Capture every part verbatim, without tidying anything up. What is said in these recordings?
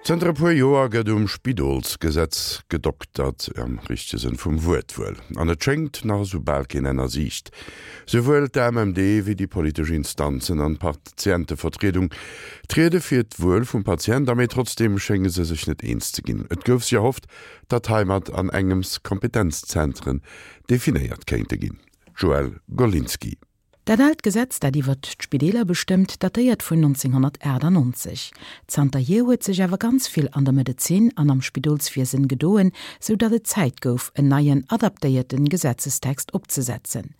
Zënter e puer Joer gëtt um Spidolsgesetz gedoktert, am richtege Sënn vum Wuert wuel. An et schéngt nach esou bal keen Enn a Siicht. Souwuel d'AMMD wéi déi politesch Instanzen an d'Patientevertriedung triede fir d'Wuel vum Patient a, mee trotzdeem schénge se sech net eens ze ginn. Et gouf sech erhofft, datt heimat an engems Kompetenzzentren definéiert kéinte ginn. Joëlle Golinski. Dat aalt Gesetz, dat iwwert d'Spideeler bestëmmt, datéiert vun nonzénghonnertaachtanonzeg. Zanterhier huet sech awer ganz vill an der Medezin an am Spidolswiesen gedoen, sou datt et Zäit gouf, en neien, adaptéierten Gesetzestext opzesetzen.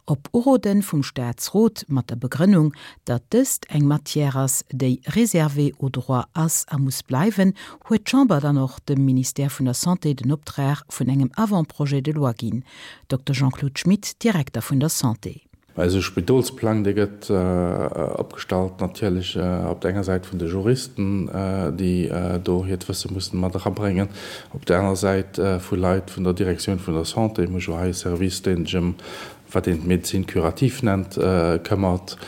Op Uroden vum Staatsrot, mat der Begrënnung, datt dëst eng Matière ass, déi réservée au droit ass a muss bleiwen, huet d'Chamber dann och dem Ministère vun der Santé den Optrag vun engem Avant-projet de loi ginn. Dokter Jean-Claude Schmit, Direkter vun der Santé. Eise Spidolsplang, dee gëtt opgestallt natierlech op der enger Säit vun de Juristen, déi do hiert Wësse mussen mat erabréngen, op der aner Säit vu Leit vun der Direktioun vun der Santé, mir hu jo hei e Service, dee sech ëm wat een d'Médecine curative nennt, këmmert.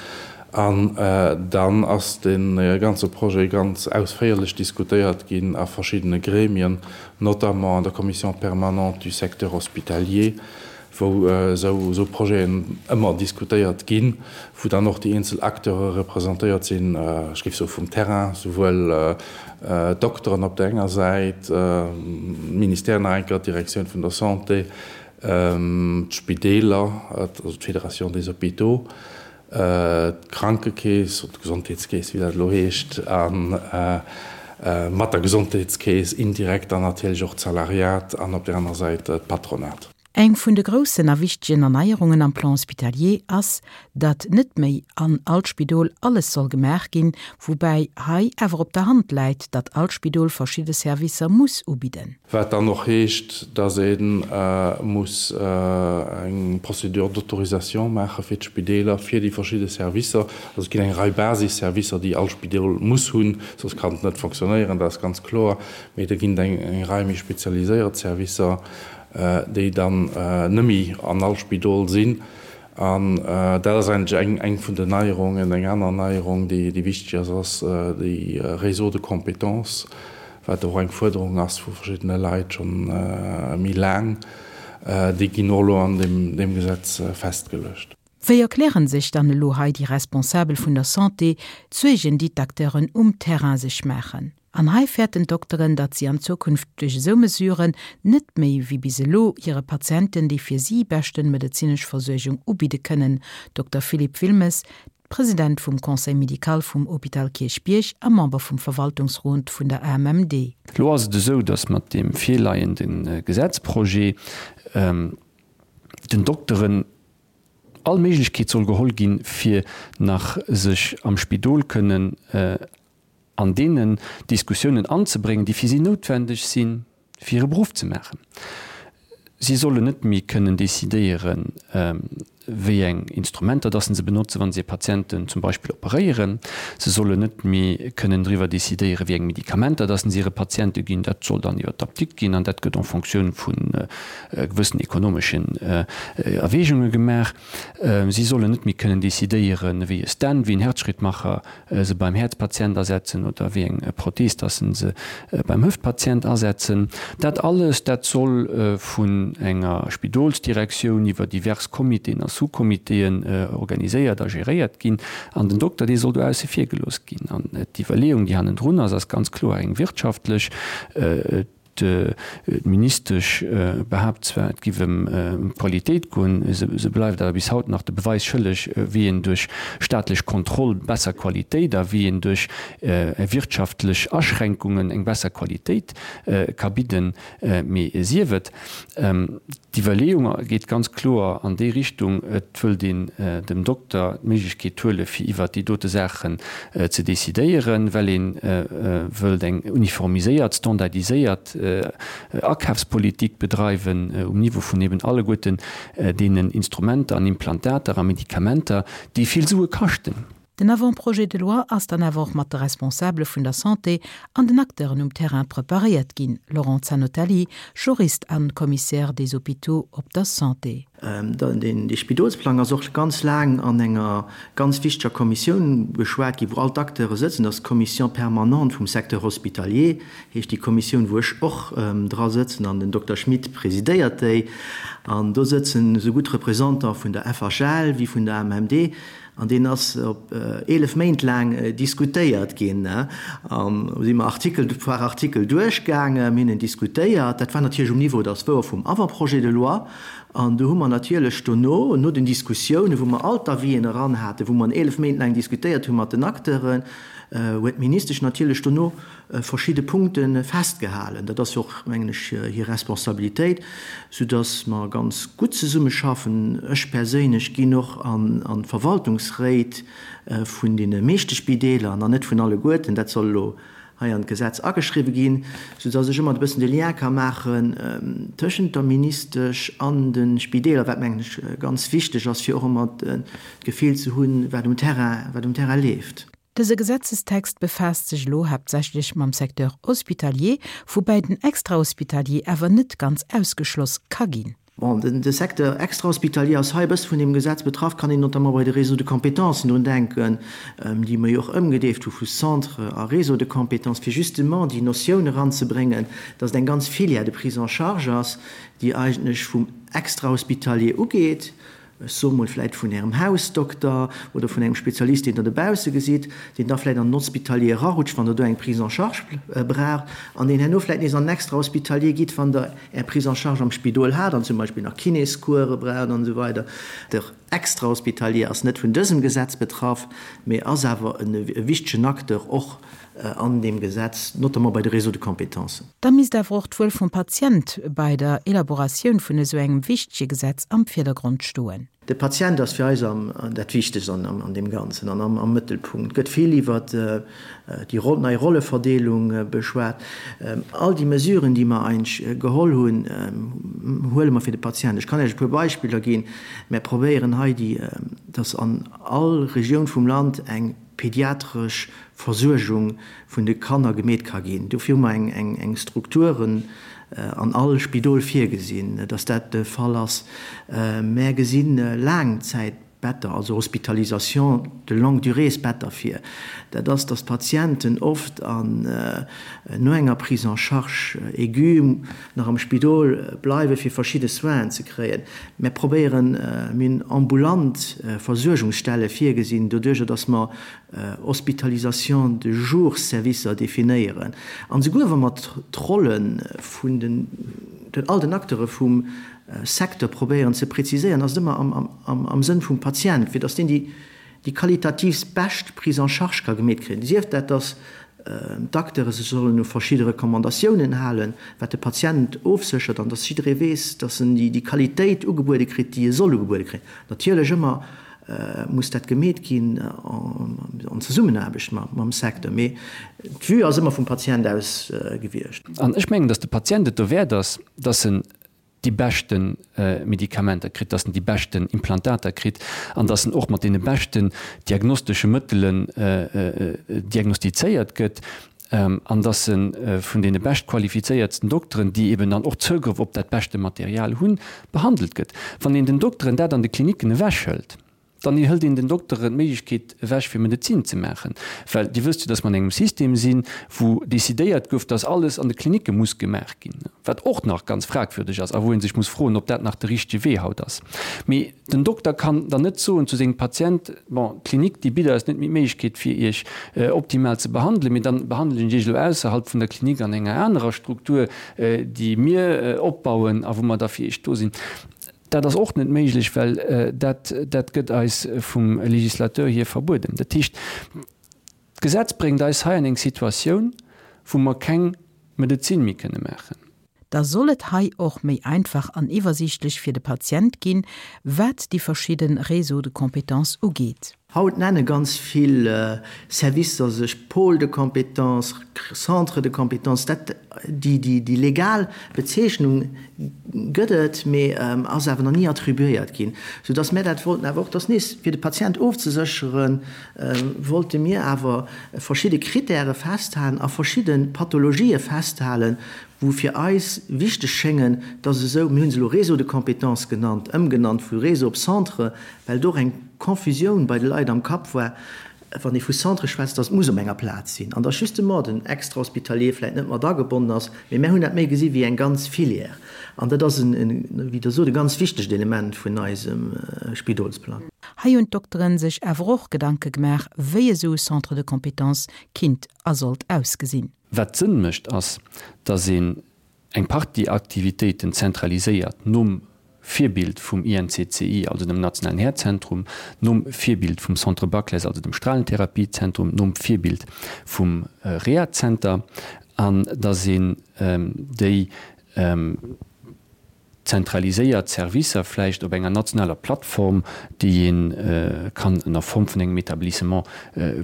An dann ass dee ganze Projet ganz ausféierlech diskutéiert ginn a verschiddene Gremien, notamment an der Commission permanente du secteur hospitalier, wou esou Projeten ëmmer diskutéiert ginn, wou dann och déi eenzel Acteure representéiert sinn, ech géif soe vum Terrain, souwuel d'Dokteren op der enger Säit, d'Ministère nach eng Kéier, d'Direktioun vun der Santé, d'Spideeler, also d'Fédération des hôpitaux, d'Krankekeess oder d'Gesondheetskeess, wéi dat elo heescht, a mat der Gesondheetskeess indirekt dann natierlech och d'Salariat an op där aner Säit d'Patronat. Eng vun de groussen a wichtegen Erneierungen am Plan hospitalier ass, datt net méi an all Spidol alles soll gemaach ginn, woubäi hei awer op der Hand läit, datt all Spidol verschidde Servicer muss ubidden. Wat dann och heescht, datt ee muss eng Procédure d'autorisation maache fir d'Spideeler, fir déi verschidde Servicer. Also et ginn eng Rei Basisservicer, déi all Spidol muss hunn, soss kann et net fonctionnéieren, dat ass ganz kloer. Mee da ginn et eng Rei méi spezialiséiert Servicer, déi dann net méi an all Spidol sinn. An dat ass eigentlech eng, eng vun den Neierungen. Eng aner Neierung, déi, déi wichteg ass, ass déi Réseau de compétences, wat och eng Fuerderung ass vu verschiddene Leit schonn méi laang. Déi ginn och elo an deem, deem Gesetz festgeluecht. Wéi erklären sech dann elo hei déi Responsabel vun der Santé d'Suergen, déi d'Acteuren um Terrain sech maachen? An hei fäerten d'Dokteren, datt si an Zukunft duerch esou Mesuren net méi wéi bis elo hire Patienten déi fir si beschten medezinesch Versuergung ubidde kënnen. Dokter Philippe Wilmes, President vum Conseil médical vum Hôpital Kierchbierg a Member vum Verwaltungsrot vun der A M M D. Elo ass et esou, datt mat deem virleiende Gesetzprojet den Dokteren all Méiglechkeet soll geholl ginn, fir nach sech am Spidol kënnen an deenen Diskussiounen anzebréngen, déi fir si noutwendeg sinn, fir hire Beruff ze maachen. Si sollen net méi kënnen decidéieren, wéi eng Instrumenter dass se benotzen, wa se Patienten zum Beispill operéieren. Se sollen net méi kënnen driwwer decidéieren, wéi eng Medikamenter dass se hire Patiente ginn. Dat soll dann iwwer d'Apdikt ginn an dat gëtt en Fonctioun vu gewëssen ekonomeschen Erwägunge gemaach. Si sollen net méi kënnen decidéieren, wéi e Stent, wéi en Herzschrittmacher se beim Häerzpatient asetzen oder wéi eng Prothees dass se beim Hüftpatient asetzen. Dat alles, dat soll vun enger Spidolsdirektioun iwwer divers Comitéen a Sous-Comitéen organiséiert a geréiert ginn an den Dokter, dee soll do ausse vir gelooss ginn. An d'Iwwerleeung, déi hannendrun ass, ass ganz kloer eng wirtschaftlech. D'Ministesch behaapt zwar, et giff ëm d'Qualitéit goen, se bleift awer bis haut nach de Beweis schëlleg, wéi een duerch staatlech Kontroll besser Qualitéit a wéi een duerch wirtschaftlech Aschränkungen eng besser Qualitéit ka bidden. Mee sief et. D'Iwwerleeung geet ganz kloer an déi Richtung, et wëllt een dem Dokter d'Méiglechkeet huele fir iwwert déi dote Saachen ze decidéieren, well ee wëllt eng uniformiséiert, standardiséiert Akafspolitik bedreiwen um Niveau vun eben alleguerten deenen Instrumenter an Implantater a Medikamenter, déi vill Sue kaschten. Den Avant-projet de loi ass dann awer och mat de Responsabele vun der Santé an den Acteuren um Terrain preparéiert ginn, Laurent Zanotelli, Jurist an Commissaire des hôpitaux op der Santé. Dee Spidolsplang ass och ganz laang an enger ganz wichteger Kommissioun beschwat ginn, wou all d'Acteure sëtzen. Dat ass d'Commission permanente vum Secteur hospitalier, heescht déi Kommissioun, wou ech och dra sëtzen an den Dokter Schmit presidéiert déi. An do sëtzen esou gutt Représentant vun der F H L wéi vun der A M M D. An deen ass op eelef Méint laang diskutéiert ginn. An do si mer Artikel par Artikel duerchgaangen, mir hunn en diskutéiert. Dat war natierlech um Niveau, dat ass wouer, vum Avant-projet de loi. An do hu mer natierlech dono, no den Diskussiounen, wou mer all d'Avisen eran haten, wou mer en eelef Méint laang diskutéiert hu mat den Acteuren, huet d'Ministesch natierlech dono verschidde Punkte festgehalen. Dat ass jo och, mengen ech, hir Responsabilitéit, soudass mer ganz gutt zesummeschaffen. Ech perséinlech ginn och an d'Verwaltungsréit vun deene meeschte Spideeler, an net vun alleguerten, dat soll elo hei an d'Gesetz ageschriwwe ginn, soudass ech ëmmer e bëssen de Lien ka maachen tëschent der Ministesch an de Spideeler, wat, mengen ech, ganz wichteg ass, fir och ëmmer d'Gefill ze hunn, wat um Terrain, wat um Terrain leeft. Dëse Gesetzestext befaasst sech elo haaptsächlech mam Secteur hospitalier, woubäi den Extrahospitalier awer net ganz ausgeschloss ka ginn. Bon, den, de Secteur extrahospitalier ass hei e bësse vun deem Gesetz betraff, kann een notamment bei de Réseaux de compétences drun denken, déi mer jo och ëmgedeeft hu vu Centre a Réseau de compétences, fir justement déi Notioun eranzebréngen, dass et eng ganz Filière de prise en charge ass, déi eigentlech vum Extrahospitalier ugeet, ech soe mol vläit vun Ärem Hausdokter oder vun engem Spezialist, deen Der dobausse gesitt, deen da vläit an den Hospitalier erarutscht, wann Der do eng Prise en charge braucht, an deen herno vläit nees an den Extrahospitalier geet, wann Der Är Prise en charge am Spidol hat an zum Beispill nach Kinéscourse braucht an esou weider. De Extrahospitalier ass net vun dësem Gesetz betraff, mee ass awer e wichtegen Acteur och an deem Gesetz, notamment bei de Réseaux de compétences. Da misst awer och d'Wuel vum Patient bei der Elaboratioun vun esou engem wichtege Gesetz am Virdergrond stoen. De Patient ass fir eis am, dat Wichtegst an, an deem Ganzen an am, am Mëttelpunkt. Gëtt vill iwwer déi nei Rolleverdeelung beschwat. All déi Mesuren, déi mer eigentlech geholl hunn, huele mer fir de Patient. Ech kann Iech e puer Beispiller ginn. Mir probéieren hei, déi, dass an all Regioun vum Land eng pediatresch Versuergung vun de Kanner gemeet ka ginn. Dofir hu mer eng, eng, eng Strukturen an all Spidol virgesinn, dass dat de Fall ass. Mär gesinn Laangzäitbetter, also Hospitalisation de longue durée Better vir. Dat ass, dass d'Patienten oft an no enger Prise en charge aiguë nach am Spidol bleiwe fir verschidde Soinen ze kréien. Mär probéieren, mir hunn ambulant Versuergungsstelle virgesinn, doduerjer dass mer Hospitalisation de jour Servicer definéieren. An souguer wa mer d'Rolle vun den, den all den Acteure vum Secteur probéieren ze präziséieren, ass et ëmmer am, am, am Sënn vum Patient, fir dass deen déi, déi qualitativ bescht Prise en charge ka gemeet kréien. Sief dat, dass d'Acteure sech sollen u verschidde Recommandatiounen halen, wat de Patient ofséchert an dass jidderee weess, dass en déi, déi Qualitéit ugebuede kritt, déi e soll ugebuede kréien. Natierlech ëmmer muss dat gemeet ginn an Zesummenaarbecht mam Secteur, mee d'Vue ass ëmmer vum Patient aus gewiescht. An ech mengen, dass de Patient et dowäert ass, dass en déi beschte Medikamenter kritt, dass en déi beschten Implantater kritt an dass en och mat deene beschten diagnostesche Mëttelen diagnostizéiert gëtt an dass e vun deene beschtqualifizéiertsten Dokteren, déi eben dann och Zougrëff op dat beschte Material hunn, behandelt gëtt. Wann een den Dokteren dat an de Klinicken ewechhëlt, dann hëlt een den Dokteren d'Méiglechkeet ewech fir Medezin ze maachen. Well Dir wësst jo, dass mer an engem System sinn, wou decidéiert gouf, dass alles an de Klinicke muss gemaach ginn, wat och nach ganz fragwürdeg ass a wou ee sech muss froen, ob dat nach de richtege Wee haut ass. Mee den Dokter kann dann net soen zu sengem Patient, bon, d'Klinik déi bitt eis net méi d'Méiglechkeet fir Iech optimal ze behandelen, mee dann behandelen ech Iech elo ausserhalb vun der Klinik an enger anerer Struktur, déi mir opbauen a wou mer da fir Iech do sinn. Dat ass och net méiglech, well dat, dat gëtt eis vum Législateur hier verbueden. Dat heescht, d'Gesetz bréngt eis hei an eng Situatioun, wou mer keng Medezin méi kënne maachen. Da soll et hei och méi einfach an iwwersiichtlech fir de Patient ginn, wat déi verschidde Réseaux de compétences ugeet. Haut nenne ganz vill Servicer sech Pôle de compétences, Centre de compétences. Dat, déi, déi, déi legal Bezeechnung gëtt et, mee ass awer nach ni attribuéiert ginn, soudass mär dat wollten awer och, dass nees fir de Patient ofzesécheren, wollte mir awer verschidde Kritäre festhalen a verschidde Pathologië festhalen, wou fir eis wichteg schéngen, dass esou, mir hu se elo Réseau de compétences genannt, ëmgenannt vu Réseau op Centre, well do och eng Confusioun bei de Leit am Kapp war, wann ee vu Centre schwätzt, dass et muss op enger Plaz sinn an dass justement den Extrahospitalier vläicht net mat agebonnen ass. Mee mär hunn dat méi gesi wéi eng ganz Filière an dat ass, wéi Der sot, e ganz wichtegt Element vun eisem Spidolsplang. Hei hunn d'Dokteren sech awer och Gedanke gemaach, wéi esou e Centre de compétences kinnt a sollt ausgesinn. Wat Sënn mécht, ass, datt een eng Partie Aktivitéiten zentraliséiert, nom Virbild vum I N C C I, also dem nationalen Häerzzentrum, nom Virbild vum Centre Baclesse, also dem Strahlentherapiezentrum, nom Virbild vum Rehazenter, an datt een déi zentraliséiert Servicer vläicht op enger nationaler Plattform, déi ee kann ënner Form vun engem Établissement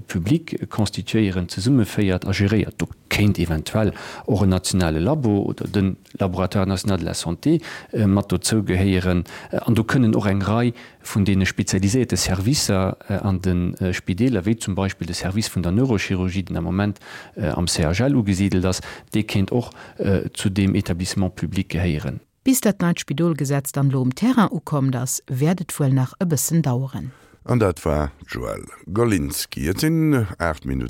public constituéieren, zesummeféiert a geréiert. Do kéint eventuell och en nationale Labo oder de Laboratoire national de la santé mat dozou gehéieren. An do kënnen och eng Rei vun deene spezialiséierte Servicer an de Spideeler, wéi zum Beispill de Service vun der Neurochirurgie, deen am Moment am C H L ugesidelt ass, dee kéint och zu deem Établissement public gehéieren. Bis dat neit Spidolgesetz dann elo um Terrain ukomm ass, wäert et wuel nach e bëssen daueren. An dat war d'Joëlle Golinski. Et sinn aacht Minutten.